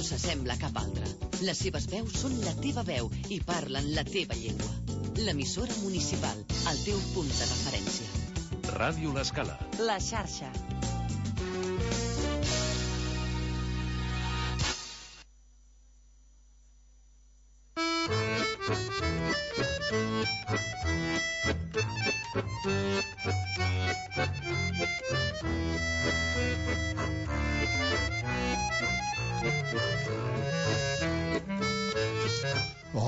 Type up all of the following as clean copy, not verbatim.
s'assembla a cap altra. Les seves veus són la teva veu i parlen la teva llengua. L'emissora municipal, el teu punt de referència. Ràdio L'Escala. La xarxa.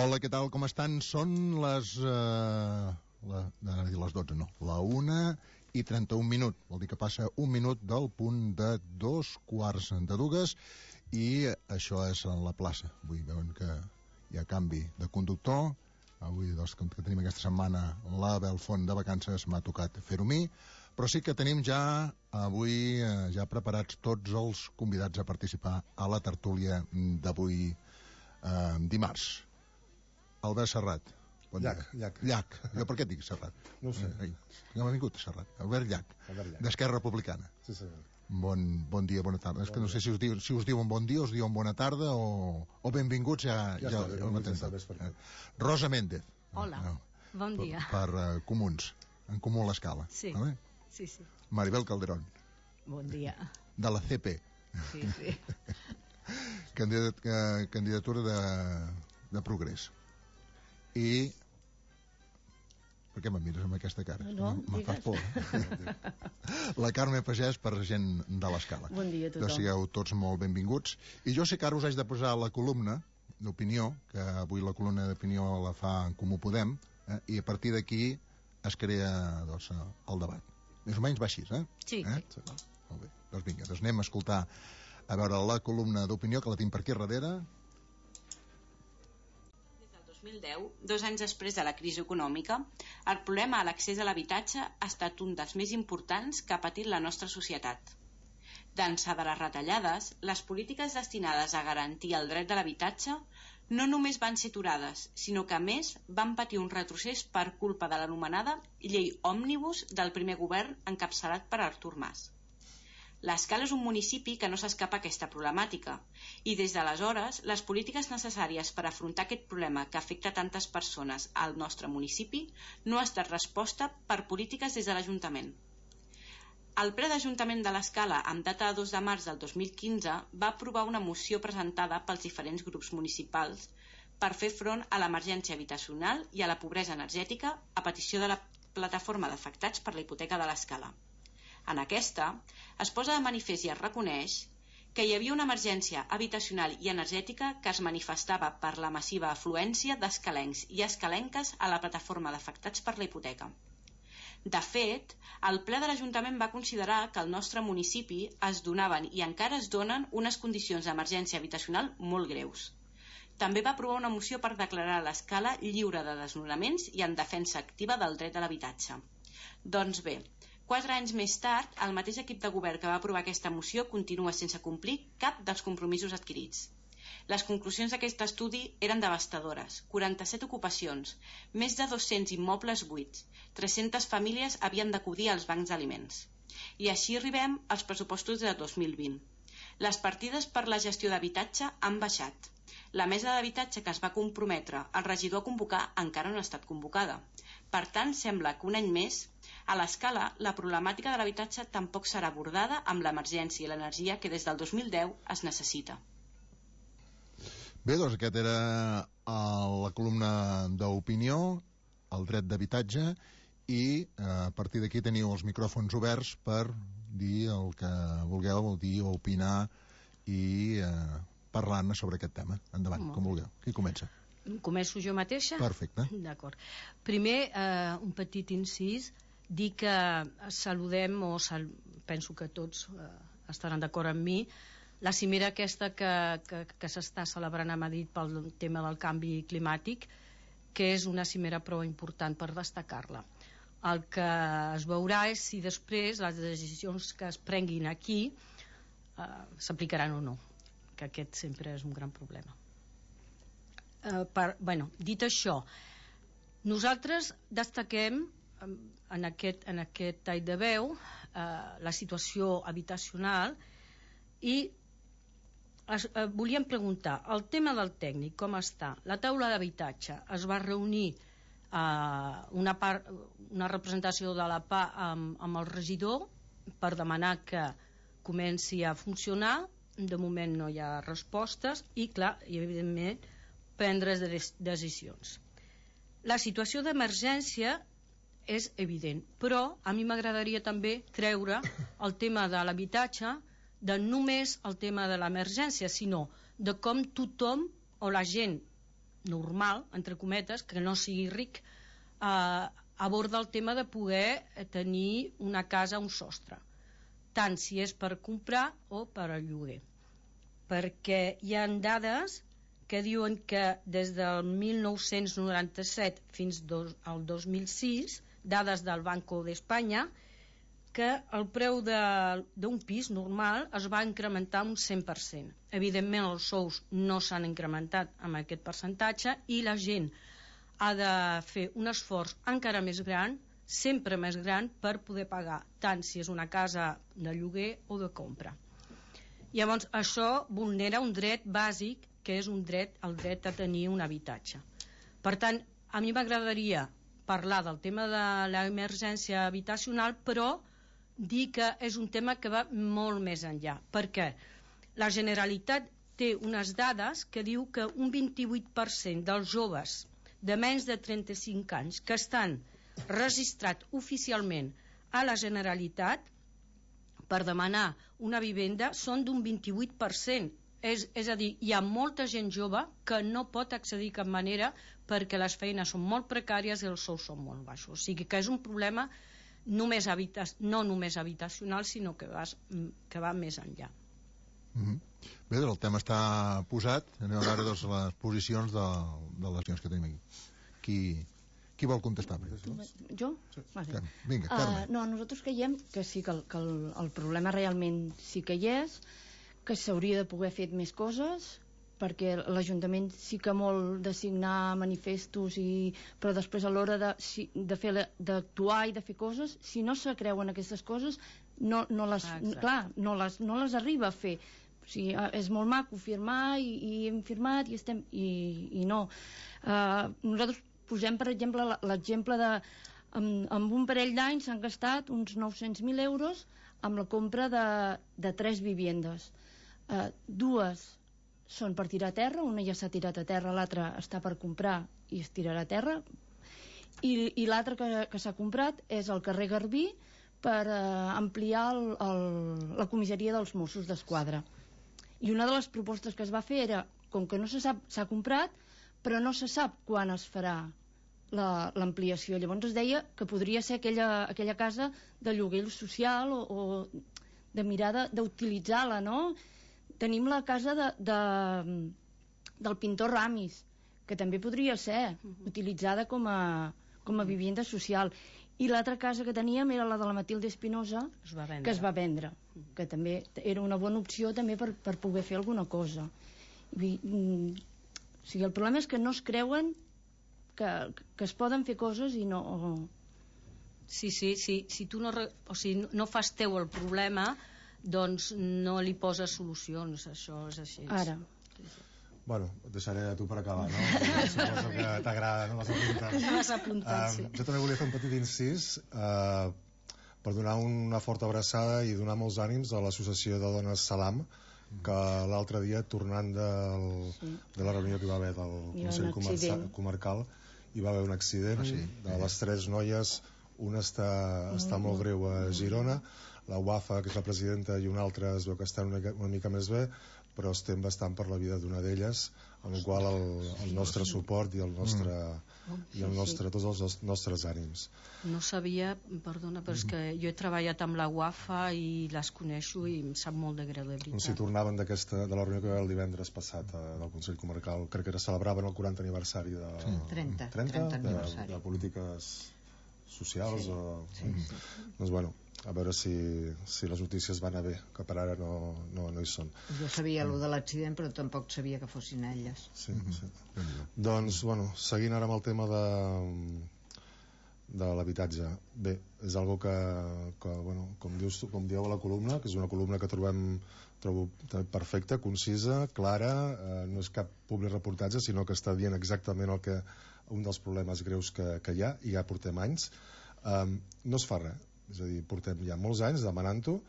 Hola, què tal, com estan? Són les 12, no, la 1:31. Vol dir que passa un minut del punt de 2:15 i això és a la plaça. Avui veuen que hi ha canvi de conductor. Avui, doncs, que tenim aquesta setmana la Belfont de vacances, m'ha tocat fer-ho a mi, però sí que tenim ja avui ja preparats tots els convidats a participar a la tertúlia d'avui dimarts. Albert Serrat. Bon Llach. Llach. Jo per què et dic Serrat? No ho sé. No m'ha vingut Serrat. Albert Llach, d'Esquerra Republicana. Sí, senyor. Bon dia, bona tarda. És que no sé si us diuen bon dia, us diuen bona tarda o benvinguts, ja ho m'entens. Rosa Méndez. Hola, bon dia. Per Comuns, en Comú a l'Escala. Sí, vale? Sí. Maribel Calderón. Bon dia. De la CP. Sí. Candidatura de Progrés. I... Per què me'n mires amb aquesta cara? No, me'n fas por. La Carme Pagès, per gent de l'Escala. Bon dia a tothom. Que sigueu tots molt benvinguts. I jo sé que ara us haig de posar la columna d'opinió, que avui la columna d'opinió la fa en Comú Podem, i a partir d'aquí es crea, doncs, el debat. Més o menys va així, Sí. Molt bé. Doncs vinga, anem a escoltar a veure la columna d'opinió, que la tinc per aquí darrere. 2010, 2 anys després de la crisi econòmica, el problema a l'accés a l'habitatge ha estat un dels més importants que ha patit la nostra societat. D'ençà de les retallades, les polítiques destinades a garantir el dret de l'habitatge no només van ser aturades, sinó que a més van patir un retrocés per culpa de l'anomenada llei òmnibus del primer govern encapçalat per Artur Mas. L'Escala és un municipi que no s'escapa a aquesta problemàtica i des d'aleshores les polítiques necessàries per afrontar aquest problema que afecta tantes persones al nostre municipi no ha estat resposta per polítiques des de l'Ajuntament. El ple d'Ajuntament de l'Escala, amb data de 2 de març del 2015, va aprovar una moció presentada pels diferents grups municipals per fer front a l'emergència habitacional i a la pobresa energètica a petició de la plataforma d'afectats per la hipoteca de l'Escala. En aquesta, es posa de manifest i es reconeix que hi havia una emergència habitacional i energètica que es manifestava per la massiva afluència d'escalencs i escalenques a la plataforma d'afectats per la hipoteca. De fet, el ple de l'Ajuntament va considerar que al nostre municipi es donaven i encara es donen unes condicions d'emergència habitacional molt greus. També va aprovar una moció per declarar l'Escala lliure de desnonaments i en defensa activa del dret a l'habitatge. Doncs bé, 4 anys més tard, el mateix equip de govern que va aprovar aquesta moció continua sense complir cap dels compromisos adquirits. Les conclusions d'aquest estudi eren devastadores. 47 ocupacions, més de 200 immobles buits, 300 famílies havien d'acudir als bancs d'aliments. I així arribem als pressupostos de 2020. Les partides per la gestió d'habitatge han baixat. La mesa d'habitatge que es va comprometre el regidor a convocar encara no ha estat convocada. Per tant, sembla que un any més a l'Escala, la problemàtica de l'habitatge tampoc serà abordada amb l'emergència i l'energia que des del 2010 es necessita. Bé, doncs aquest era la columna d'opinió, el dret d'habitatge, i a partir d'aquí teniu els micròfons oberts per dir el que vulgueu, vol dir opinar i parlar-ne sobre aquest tema. Endavant, com vulgueu. Qui comença? Començo jo mateixa? Perfecte. D'acord. Primer, un petit incís, dir que saludem, penso que tots estaran d'acord amb mi, la cimera aquesta que s'està celebrant a Madrid pel tema del canvi climàtic, que és una cimera prou important per destacar-la. El que es veurà és si després les decisions que es prenguin aquí s'aplicaran o no, que aquest sempre és un gran problema. Dit això, nosaltres destaquem en aquest tall de veu la situació habitacional i volíem preguntar, el tema del tècnic, com està? La taula d'habitatge es va reunir una representació de la PA amb el regidor per demanar que comenci a funcionar. De moment no hi ha respostes i, clar, i evidentment prendre decisions. La situació d'emergència és evident, però a mi m'agradaria també treure el tema de l'habitatge de només el tema de l'emergència, sinó de com tothom o la gent normal, entre cometes, que no sigui ric, aborda el tema de poder tenir una casa a un sostre, tant si és per comprar o per al lloguer. Perquè hi ha dades que diuen que des del 1997 fins al 2006, dades del Banco d'Espanya, que el preu d'un pis normal es va incrementar un 100%. Evidentment els sous no s'han incrementat amb aquest percentatge i la gent ha de fer un esforç encara més gran, sempre més gran, per poder pagar, tant si és una casa de lloguer o de compra. Llavors això vulnera un dret bàsic, que és el dret a tenir un habitatge. Per tant, a mi m'agradaria parlar del tema de l'emergència habitacional, però dir que és un tema que va molt més enllà, perquè la Generalitat té unes dades que diu que un 28% dels joves de menys de 35 anys que estan registrats oficialment a la Generalitat per demanar una vivenda són d'un 28%. És a dir, hi ha molta gent jove que no pot accedir de cap manera perquè les feines són molt precàries i els sous són molt baixos. O sigui que és un problema no només habitacional, sinó que va més enllà. Bé, el tema està posat. Anem a veure les posicions de les gens que tenim aquí. Qui vol contestar? Jo? Vinga, Carme. No, nosaltres creiem que sí, que el problema realment sí que hi és, que s'hauria de poder fer més coses, perquè l'Ajuntament sí que molt de signar manifestos, però després a l'hora d'actuar i de fer coses, si no se creuen aquestes coses, no les arriba a fer. O sigui, és molt maco firmar i hem firmat i no. Nosaltres posem, per exemple, l'exemple de amb un parell d'anys s'han gastat uns 900.000 euros amb la compra de 3 viviendes. 2 són per tirar a terra, una ja s'ha tirat a terra, l'altra està per comprar i es tirarà a terra, i l'altra que s'ha comprat és al carrer Garbí per ampliar la comissaria dels Mossos d'Esquadra. I una de les propostes que es va fer era, com que no se sap, s'ha comprat, però no se sap quan es farà l'ampliació. Llavors es deia que podria ser aquella casa de lloguer social o de mirar d'utilitzar-la, no? Tenim la casa del pintor Ramis, que també podria ser utilitzada com a vivienda social. I l'altra casa que teníem era la de la Matilde Espinosa, que es va vendre, que també era una bona opció també per poder fer alguna cosa. O sigui, el problema és que no es creuen que es poden fer coses i no... Sí, si tu no fas teu el problema, doncs no li poses solucions, això és així. Ara. Bueno, et deixaré a tu per acabar, no? Suposo que t'agrada, no? Les apuntats, sí. Jo també volia fer un petit incís per donar una forta abraçada i donar molts ànims a l'associació de dones Salam, que l'altre dia, tornant de la reunió que hi va haver del Consell Comarcal, hi va haver un accident de les 3 noies. Una està molt greu a Girona, la Wafa, que és la presidenta, i una altra es veu que està una mica més bé, però estem bastant per la vida d'una d'elles, amb la qual el nostre suport i tots els nostres ànims. No sabia, perdona, però és que jo he treballat amb la Wafa i les coneixo i em sap molt de greu, de veritat. Si tornaven de la reunió que va haver el divendres passat del Consell Comarcal, crec que celebraven el 40 aniversari de 30 de polítiques socials. Doncs bueno, a veure si les notícies van a bé, que per ara no hi són. Jo sabia allò de l'accident, però tampoc sabia que fossin elles. Sí. Doncs, bueno, seguint ara amb el tema de l'habitatge. Bé, és algo que bueno, com dieu a la columna, que és una columna que trobo perfecta, concisa, clara, no és cap public reportatge, sinó que està dient exactament un dels problemes greus que hi ha, i ja portem anys. No es fa res, és a dir, portem ja molts anys demanant-ho.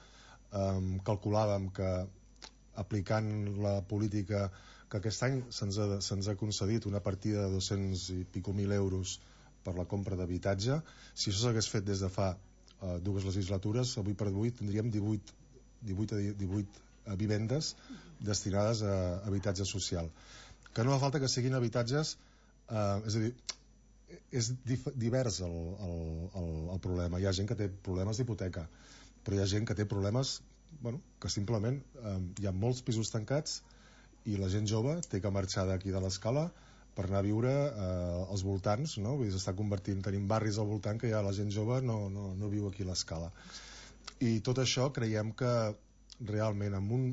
Calculàvem que aplicant la política que aquest any se'ns ha concedit una partida de 200 i pico mil euros per la compra d'habitatge. Si això s'hagués fet des de fa 2 legislatures, avui per avui tindríem 18 vivendes destinades a habitatge social. Que no fa falta que siguin habitatges, és a dir, és divers el problema. Hi ha gent que té problemes d'hipoteca, però hi ha gent que té problemes que simplement hi ha molts pisos tancats i la gent jove té que marxar d'aquí de l'Escala per anar a viure als voltants, no? Vull dir, s'està convertint, tenim barris al voltant que ja la gent jove no viu aquí a l'Escala. I tot això creiem que realment amb un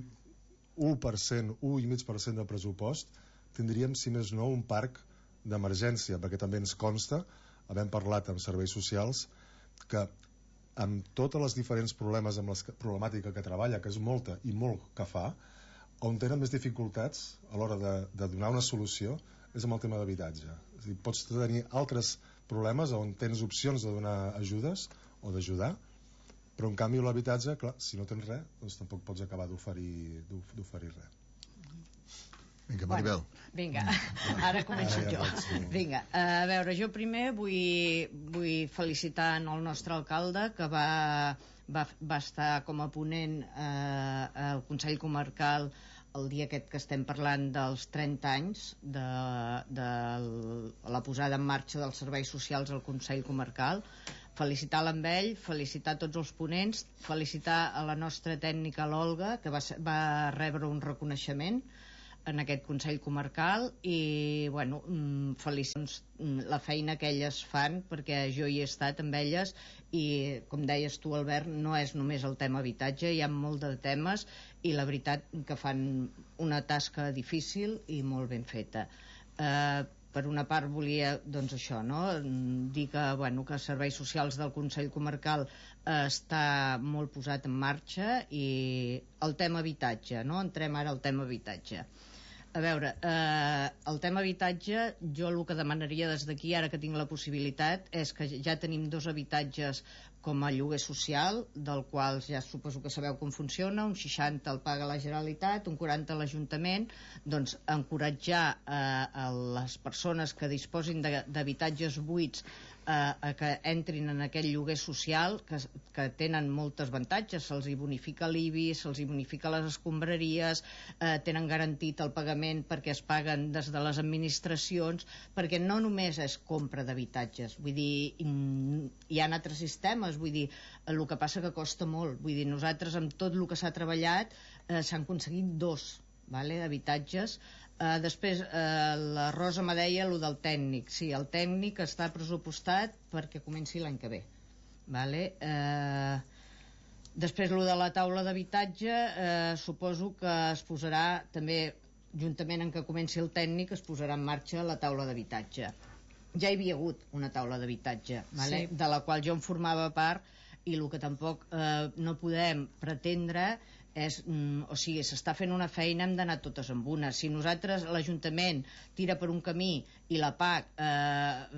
1%, 1,5% de pressupost tindríem, si més no, un parc d'emergència, perquè també ens consta, havent parlat amb serveis socials, que amb totes les diferents problemàtica que treballa, que és molta i molt que fa, on tenen més dificultats a l'hora de donar una solució és amb el tema d'habitatge. És a dir, pots tenir altres problemes on tens opcions de donar ajudes o d'ajudar, però en canvi l'habitatge, clar, si no tens res, doncs tampoc pots acabar d'oferir res. Vinga, Maribel. Vinga, ara començo jo. Vinga, a veure, jo primer vull felicitar el nostre alcalde, que va estar com a ponent al Consell Comarcal el dia aquest que estem parlant dels 30 anys de la posada en marxa dels serveis socials al Consell Comarcal. Felicitar-la amb ell, felicitar tots els ponents, felicitar a la nostra tècnica, l'Olga, que va rebre un reconeixement en aquest Consell Comarcal, i bueno, felicitar la feina que elles fan, perquè jo hi he estat amb elles, i com deies tu, Albert, no és només el tema habitatge, hi ha molt de temes, i la veritat que fan una tasca difícil i molt ben feta. Per una part volia, doncs això, no? Dir que, bueno, que Serveis Socials del Consell Comarcal està molt posat en marxa, i el tema habitatge, no? Entrem ara al tema habitatge. A veure, el tema habitatge, jo el que demanaria des d'aquí, ara que tinc la possibilitat, és que ja tenim 2 habitatges com a lloguer social, del qual ja suposo que sabeu com funciona, un 60 el paga la Generalitat, un 40 l'Ajuntament, doncs encoratjar a les persones que disposin d'habitatges buits que entrin en aquest lloguer social, que tenen molts avantatges, se'ls bonifica l'IBI, se'ls bonifica les escombraries, tenen garantit el pagament perquè es paguen des de les administracions, perquè no només és compra d'habitatges, vull dir, hi ha altres sistemes, vull dir, el que passa que costa molt, vull dir, nosaltres amb tot el que s'ha treballat s'han aconseguit 2 habitatges. Després la Rosa me deia el del tècnic. Sí, el tècnic està pressupostat perquè comenci l'any que ve. Després el de la taula d'habitatge, suposo que es posarà també, juntament amb que comenci el tècnic, es posarà en marxa la taula d'habitatge. Ja hi havia hagut una taula d'habitatge, de la qual jo en formava part, i el que tampoc no podem pretendre és, o sigui, s'està fent una feina, hem d'anar totes amb una. Si nosaltres, l'Ajuntament, tira per un camí i la PAC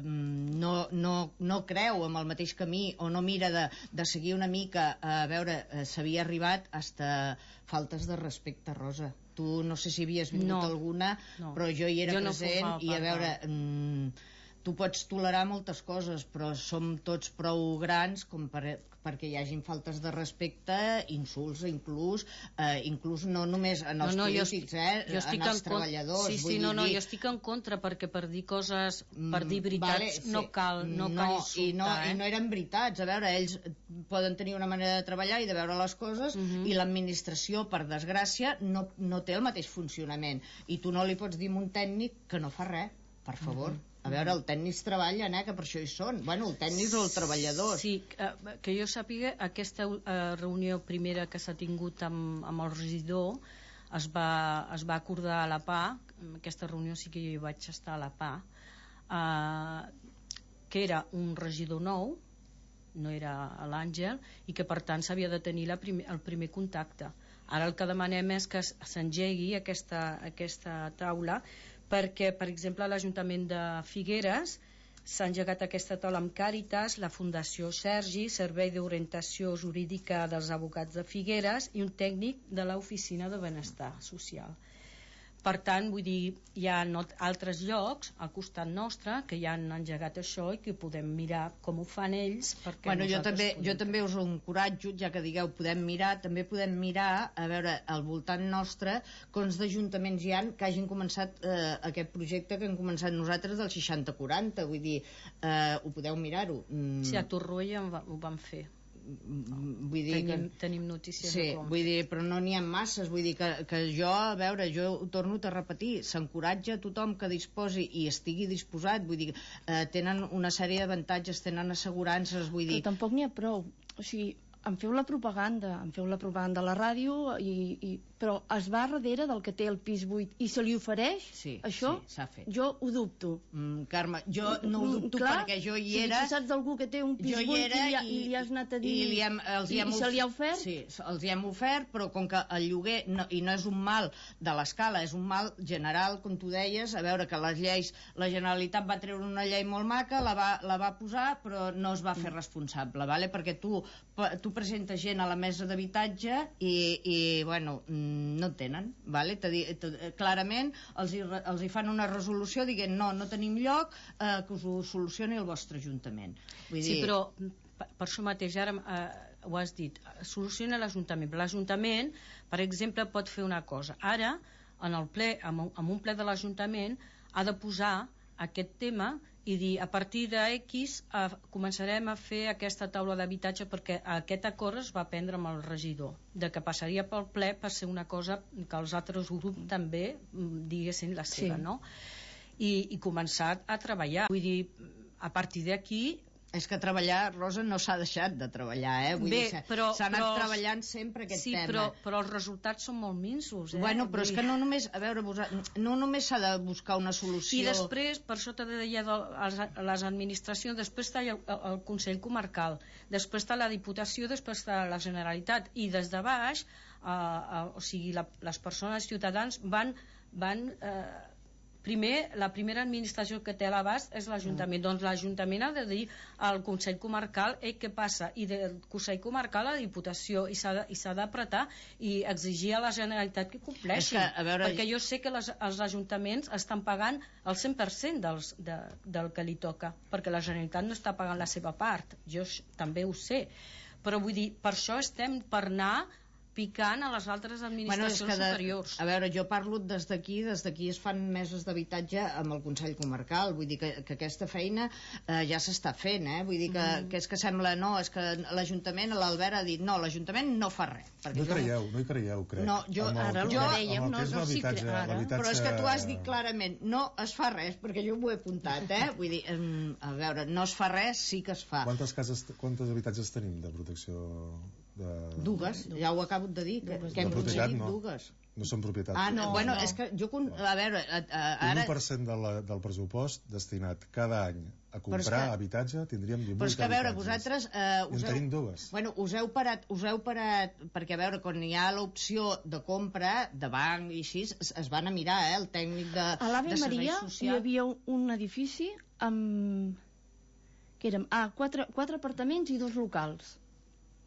no creu en el mateix camí, o no mira de seguir una mica, a veure, s'havia arribat hasta faltes de respecte, Rosa. Tu no sé si havies vingut alguna, però jo hi era present, i a veure, tu pots tolerar moltes coses, però som tots prou grans com perquè hi hagin faltes de respecte, insults, inclús no només en els polítics, en els treballadors. Jo estic en contra, perquè per dir coses, per dir veritats, no cal insultar. I no eren veritats. A veure, ells poden tenir una manera de treballar i de veure les coses, i l'administració, per desgràcia, no té el mateix funcionament. I tu no li pots dir a un tècnic que no fa res, per favor. A veure, els tècnics treballen, que per això hi són. Bueno, el tècnic o el treballador. Sí, que jo sàpiga, aquesta reunió primera que s'ha tingut amb el regidor es va acordar a la PA. En aquesta reunió sí que jo hi vaig estar a la PA. que era un regidor nou, no era l'Àngel, i que per tant s'havia de tenir el primer contacte. Ara el que demanem és que s'engegui aquesta taula, perquè, per exemple, a l'Ajuntament de Figueres s'ha engegat aquesta taula amb Càritas, la Fundació Sergi, Servei d'Orientació Jurídica dels Advocats de Figueres i un tècnic de l'Oficina de Benestar Social. Per tant, vull dir, hi ha altres llocs al costat nostre que ja han engegat això i que podem mirar com ho fan ells. Bueno, jo també us encoratjo, ja que digueu podem mirar, també podem mirar a veure al voltant nostre quants d'ajuntaments hi ha que hagin començat aquest projecte que hem començat nosaltres del 60-40, vull dir, ho podeu mirar-ho. Sí, a Torroella ho vam fer. Vull dir tenim notícies sí, vull dir, però no n'hi ha masses, vull dir que jo, a veure, jo ho torno a repetir, s'encoratja a tothom que disposi i estigui disposat, vull dir, tenen una sèrie d'avantatges, tenen assegurances, vull dir... Però tampoc n'hi ha prou, o sigui, em feu la propaganda a la ràdio, però es va darrere del que té el pis buit i se li ofereix això? Sí, s'ha fet. Jo ho dubto. Carme, jo no ho dubto perquè jo hi era... Si tu saps d'algú que té un pis buit i li has anat a dir i se li ha ofert? Sí, els hi hem ofert, però com que el lloguer, i no és un mal de l'escala, és un mal general, com tu deies, a veure que les lleis, la Generalitat va treure una llei molt maca, la va posar, però no es va fer responsable, vale? Perquè tu presentes gent a la mesa d'habitatge i bueno, no tenen, vale? Clarament els hi fan una resolució dient no tenim lloc, que us ho solucioni el vostre ajuntament. Vull dir... Sí, però per això mateix ara ho has dit, soluciona l'Ajuntament. L'Ajuntament, per exemple, pot fer una cosa. Ara, en un ple de l'Ajuntament, ha de posar aquest tema i dir, a partir d'X començarem a fer aquesta taula d'habitatge, perquè aquest acord es va prendre amb el regidor, de que passaria pel ple per ser una cosa que els altres grups també diguessin la seva, no? I començar a treballar. Vull dir, a partir d'aquí... És que treballar, Rosa, no s'ha deixat de treballar, Vull dir, s'ha anat treballant sempre aquest tema. Sí, però els resultats són molt minsos, Bueno, però és que no només, a veure, no només s'ha de buscar una solució... I després, per això t'he de dir les administracions, després està el Consell Comarcal, després està la Diputació, després està la Generalitat, i des de baix, o sigui, les persones ciutadans van primer, la primera administració que té a l'abast és l'Ajuntament. Doncs l'Ajuntament ha de dir al Consell Comarcal què passa, i del Consell Comarcal a la Diputació, i s'ha d'apretar i exigir a la Generalitat que compleixi, perquè jo sé que els ajuntaments estan pagant el 100% del que li toca, perquè la Generalitat no està pagant la seva part, jo també ho sé, però vull dir, per això estem per anar picant a les altres administracions superiors. A veure, jo parlo des d'aquí es fan meses d'habitatge amb el Consell Comarcal, vull dir que aquesta feina ja s'està fent, vull dir que és que sembla, no, és que l'Ajuntament, l'Albert ha dit, no, l'Ajuntament no fa res. No hi creieu, crec. No, ara ho dèiem, no s'hi creu. Però és que tu has dit clarament, no es fa res, perquè jo m'ho he apuntat, vull dir, a veure, no es fa res, sí que es fa. Quantes habitatges tenim de protecció? Dues, ja ho acabo de dir, que hem aconseguit dues. No són propietat. Bueno, és que jo... A veure, ara... 1% del pressupost destinat cada any a comprar habitatge, tindríem 18 habitatges. Però és que, a veure, vosaltres... en tenim dues. Bueno, us heu parat, perquè, a veure, quan hi ha l'opció de compra, de banc i així, es van a mirar, el tècnic de serveis socials... A l'Ave Maria hi havia un edifici amb... que eren 4 apartaments i 2 locals.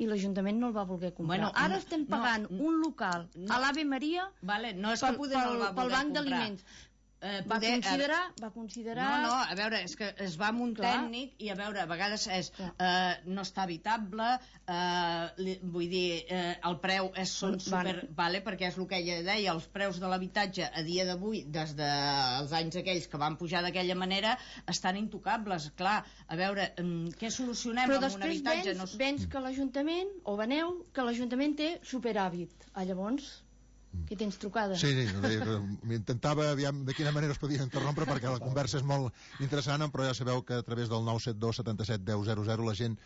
I l'Ajuntament no el va voler comprar. Bueno, ara estem pagant un local a l'Ave Maria pel banc d'aliments. Va considerar... No, a veure, és que es va amb un tècnic i a veure, a vegades no està habitable, vull dir, el preu són super... perquè és el que ella deia, els preus de l'habitatge a dia d'avui, des dels anys aquells que van pujar d'aquella manera, estan intocables, clar. A veure, què solucionem amb un habitatge? Però després vens que l'Ajuntament, o veneu, que l'Ajuntament té superàvit. Llavors... que tens trucada. Sí, m'intentava aviam de quina manera es podia interrompre perquè la conversa és molt interessant, però ja sabeu que a través del 972 77 10 00 la gent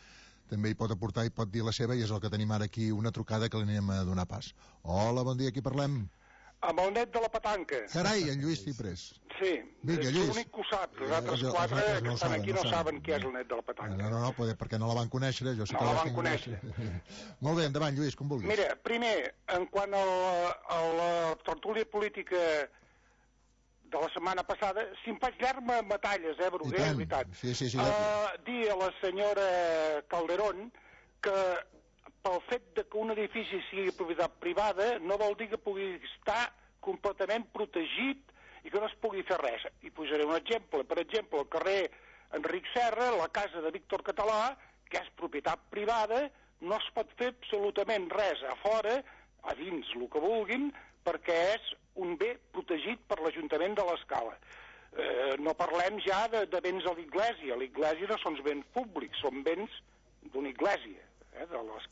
també hi pot aportar i pot dir la seva, i és el que tenim ara aquí, una trucada que li anem a donar pas. Hola, bon dia, qui parlem? Amb el net de la petanca. Carai, en Lluís Ciprés. Sí, Vinga, és Lluís. l'únic que ho sap. Els altres quatre que estan aquí no saben què és el net de la petanca. No, perquè no la van conèixer. Jo sí que no la van conèixer. Molt bé, endavant, Lluís, com vulguis. Mira, primer, en quant a la tertúlia política de la setmana passada, si em faig llarg batalles, Bruguer, és veritat. Sí. Dir a la senyora Calderón que pel fet de que un edifici sigui propietat privada no vol dir que pugui estar completament protegit i que no es pugui fer res. I posaré un exemple. Per exemple, al carrer Enric Serra, la casa de Víctor Català, que és propietat privada, no es pot fer absolutament res a fora, a dins, el que vulguin, perquè és un bé protegit per l'Ajuntament de l'Escala. No parlem ja de béns a l'Iglésia. L'Iglésia no són béns públics, són béns d'una Iglésia, de les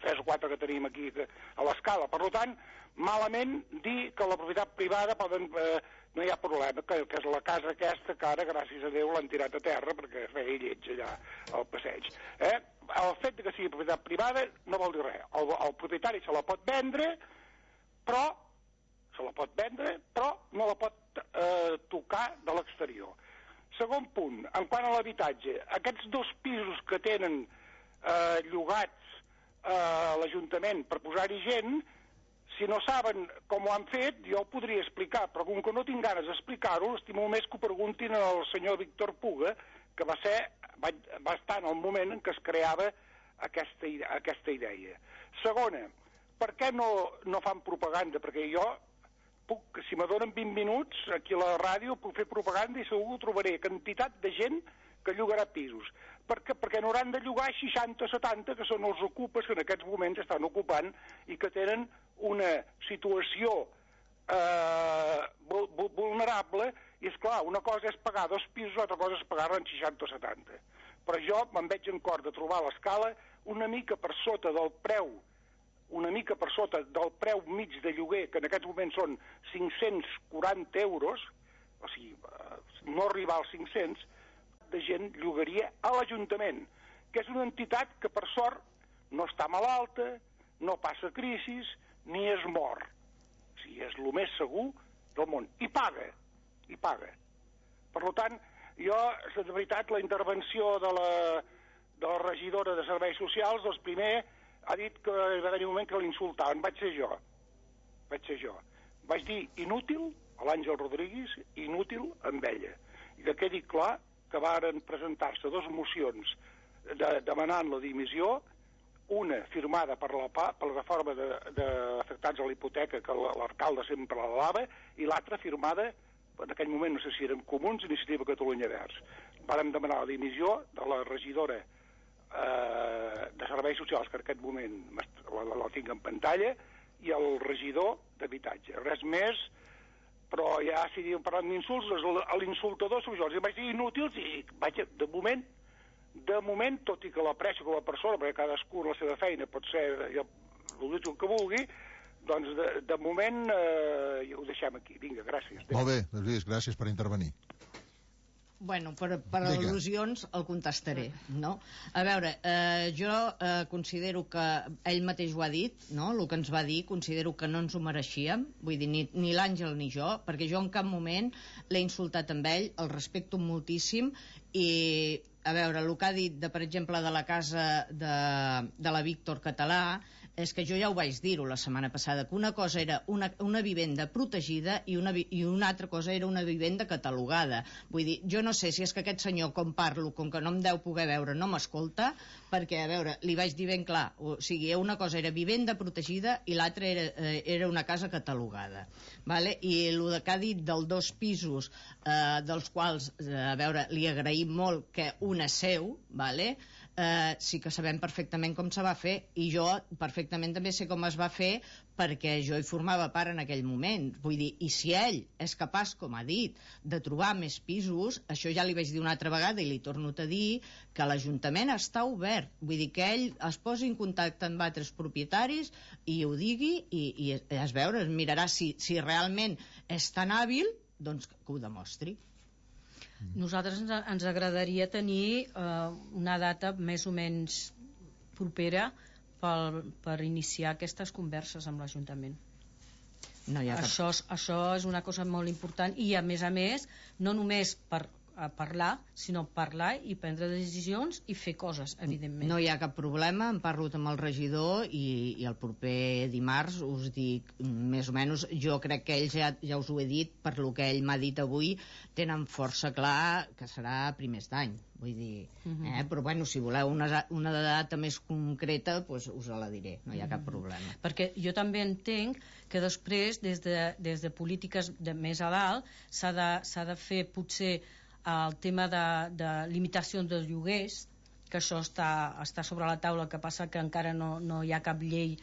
3 o 4 que tenim aquí a l'Escala. Per tant, malament dir que la propietat privada no hi ha problema, que és la casa aquesta que ara, gràcies a Déu, l'han tirat a terra perquè feia lleig allà al passeig. El fet que sigui propietat privada no vol dir res. El propietari se la pot vendre, però no la pot tocar de l'exterior. Segon punt, en quant a l'habitatge, aquests 2 pisos que tenen llogats a l'Ajuntament per posar-hi gent, si no saben com ho han fet, jo ho podria explicar, però com que no tinc ganes d'explicar-ho, estimo més que ho preguntin al senyor Víctor Puga, que va estar en el moment en què es creava aquesta idea. Segona, per què no fan propaganda? Perquè jo puc, si me donen 20 minuts aquí a la ràdio, puc fer propaganda i segur que trobaré quantitat de gent que llogarà pisos. Perquè n'hauran de llogar 60 o 70, que són els ocupes que en aquests moments estan ocupant i que tenen una situació vulnerable, i és clar, una cosa és pagar 2 pisos, l'altra cosa és pagar-la en 60 o 70. Però jo me'n veig en cor de trobar l'Escala una mica per sota del preu mig de lloguer, que en aquests moments són 540 euros, o sigui, no arribar als 500, de gent llogaria a l'Ajuntament, que és una entitat que per sort no està malalta, no passa crisis, ni es mor. O sigui, és el més segur del món. I paga. Per tant, jo, de veritat, la intervenció de la regidora de Serveis Socials, doncs primer ha dit que va haver un moment que l'insultaven. Vaig ser jo. Vaig dir inútil a l'Àngel Rodríguez, inútil amb ella. I que quedi clar que varen presentar-se 2 mocions demanant la dimissió, una firmada per la reforma d'afectats a la hipoteca, que l'alcalde sempre la dava, i l'altra firmada, en aquell moment no sé si eren Comuns, Iniciativa Catalunya Verds. Vàrem demanar la dimissió de la regidora de Serveis Socials, que en aquest moment la tinc en pantalla, i el regidor d'Habitatge. Res més, però ja si diuen parlant d'insults, l'insultador sóc jo. Els vaig dir inútils i de moment, tot i que l'aprecio com a persona, perquè cadascú la seva feina pot ser el que vulgui, doncs de moment ho deixem aquí. Vinga, gràcies. Molt bé, Lluís, gràcies per intervenir. Bueno, per al·lusions el contestaré, no? A veure, jo considero que ell mateix ho ha dit, no? El que ens va dir, considero que no ens ho mereixíem, vull dir, ni l'Àngel ni jo, perquè jo en cap moment l'he insultat amb ell, el respecto moltíssim, i a veure, el que ha dit, per exemple, de la casa de la Víctor Català, és que jo ja ho vaig dir-ho la setmana passada, que una cosa era una vivenda protegida i una altra cosa era una vivenda catalogada. Vull dir, jo no sé si és que aquest senyor, com parlo, com que no em deu poder veure, no m'escolta, perquè, a veure, li vaig dir ben clar, o sigui, una cosa era vivenda protegida i l'altra era una casa catalogada. Vale? I el que ha dit dels 2 pisos, dels quals, a veure, li agraïm molt que un és seu, vale? Sí que sabem perfectament com se va fer, i jo perfectament també sé com es va fer perquè jo hi formava part en aquell moment. Vull dir, i si ell és capaç, com ha dit, de trobar més pisos, això ja li vaig dir una altra vegada i li torno a dir que l'Ajuntament està obert. Vull dir que ell es posi en contacte amb altres propietaris i ho digui i es veure, es mirarà si realment és tan hàbil, doncs que ho demostri. Nosaltres ens agradaria tenir una data més o menys propera per iniciar aquestes converses amb l'Ajuntament. No hi ha cap... Això és una cosa molt important i a més, no només per parlar, sinó parlar i prendre decisions i fer coses, evidentment. No hi ha cap problema, em parlo amb el regidor i el proper dimarts us dic més o menys, jo crec que ells ja us ho he dit, per lo que ell m'ha dit avui, tenen força clar que serà a primers d'any, vull dir, però bueno, si voleu una data més concreta, doncs us la diré, no hi ha cap problema. Perquè jo també entenc que després, des de polítiques més a dalt, s'ha de fer potser el tema de limitació dels lloguers, que això està sobre la taula, que passa que encara no hi ha cap llei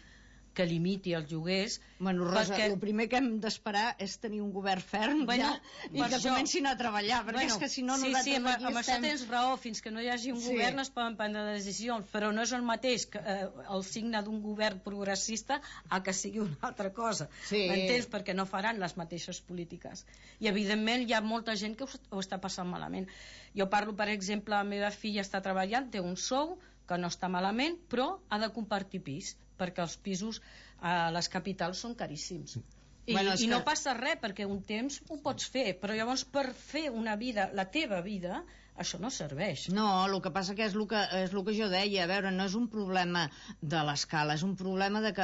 que limiti els lloguers. Bueno, Rosa, el primer que hem d'esperar és tenir un govern ferm i que comencin a treballar, perquè és que si no nosaltres aquí estem... Això tens raó, fins que no hi hagi un govern es poden prendre decisions, però no és el mateix que el signe d'un govern progressista a que sigui una altra cosa. M'entens? Perquè no faran les mateixes polítiques. I evidentment hi ha molta gent que ho està passant malament. Jo parlo, per exemple, la meva filla està treballant, té un sou que no està malament, però ha de compartir pis, perquè els pisos a les capitals són caríssims. I no passa res, perquè un temps ho pots fer, però llavors per fer una vida, la teva vida, això no serveix. No, el que passa que és el que jo deia, a veure, no és un problema de l'escala, és un problema de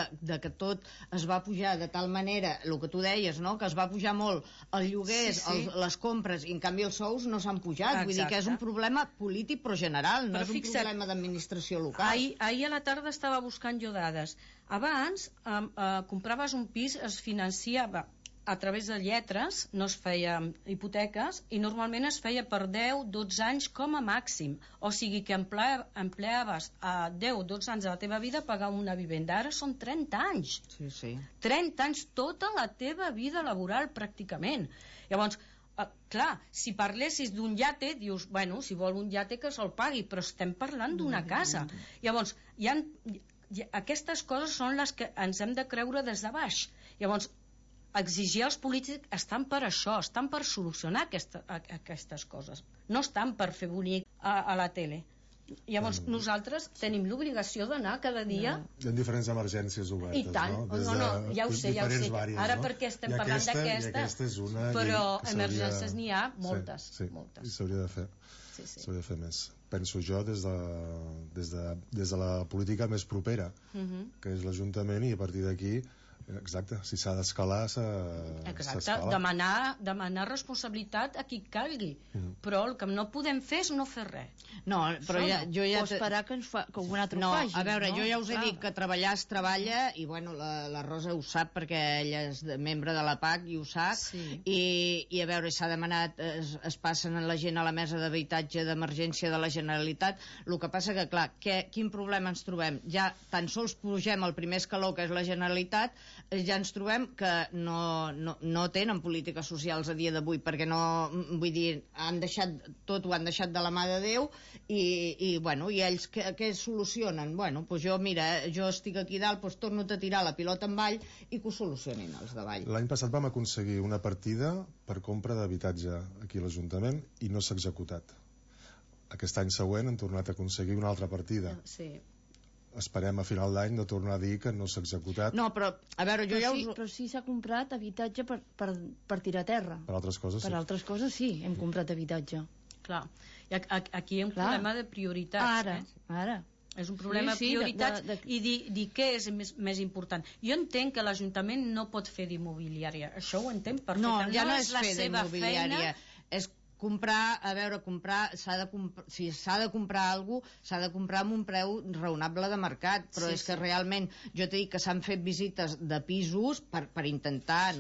que tot es va pujar de tal manera, el que tu deies, no?, que es va pujar molt el lloguers, les compres, i en canvi els sous no s'han pujat. Vull dir que és un problema polític però general, no és un problema d'administració local. Ahir a la tarda estava buscant jo dades. Abans compraves un pis, es financiava a través de lletres, no es feia hipoteques, i normalment es feia per 10-12 anys com a màxim. O sigui que empleaves a 10-12 anys de la teva vida a pagar una vivenda. Ara són 30 anys. Sí. 30 anys, tota la teva vida laboral, pràcticament. Llavors, clar, si parlessis d'un iate, dius, bueno, si vol un iate que se'l pagui, però estem parlant d'una casa. Llavors, aquestes coses són les que ens hem de creure des de baix. Llavors, exigir als polítics estan per això, estan per solucionar aquestes coses, no estan per fer bonic a la tele. Llavors nosaltres tenim l'obligació d'anar cada dia... Hi ha diferents emergències obertes, i tant, ja ho sé. Ara perquè estem parlant d'aquesta, però emergències n'hi ha moltes. Sí, i s'hauria de fer. S'hauria de fer més. Penso jo des de la política més propera, que és l'Ajuntament, i a partir d'aquí, exacte, si s'ha d'escalar, s'escala. Demanar responsabilitat a qui calgui, però el que no podem fer és no fer res. No, però jo ja... O esperar que un altre ho faci. A veure, jo ja us he dit que treballar es treballa, i bueno, la Rosa ho sap perquè ella és membre de la PAC i ho sap, i a veure, s'ha demanat, es passen la gent a la mesa d'habitatge d'emergència de la Generalitat. El que passa que, clar, quin problema ens trobem? Ja tan sols pugem al primer escaló, que és la Generalitat, ja ens trobem que no tenen polítiques socials a dia d'avui, perquè no, vull dir, tot ho han deixat de la mà de Déu, i ells què solucionen? Bueno, doncs jo estic aquí dalt, doncs torno a tirar la pilota en avall i que ho solucionin els davall. L'any passat vam aconseguir una partida per compra d'habitatge aquí a l'Ajuntament i no s'ha executat. Aquest any següent hem tornat a aconseguir una altra partida. Esperem a final d'any no tornar a dir que no s'ha executat. No, però a veure, però sí s'ha comprat habitatge per tirar a terra. Per altres coses, sí. Per altres coses, sí, hem comprat habitatge. Clar, aquí hi ha un problema de prioritats. Ara. És un problema de prioritats i dir què és més important. Jo entenc que l'Ajuntament no pot fer d'immobiliària. Això ho entenc perfectament. No, ja no és fer d'immobiliària. És comprar, si s'ha de comprar alguna cosa, s'ha de comprar amb un preu raonable de mercat, però és que realment, jo t'he dit que s'han fet visites de pisos per intentar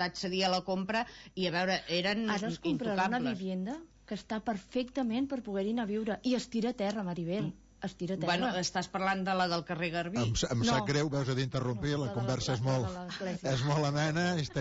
accedir a la compra, i a veure, eren intocables. Ara es comprarà una vivienda que està perfectament per poder-hi anar a viure, i es tira a terra, Maribel. Es tira a terra. Bueno, estàs parlant de la del carrer Garbí. Em sap greu, veus, d'interrompir, la conversa és molt amena,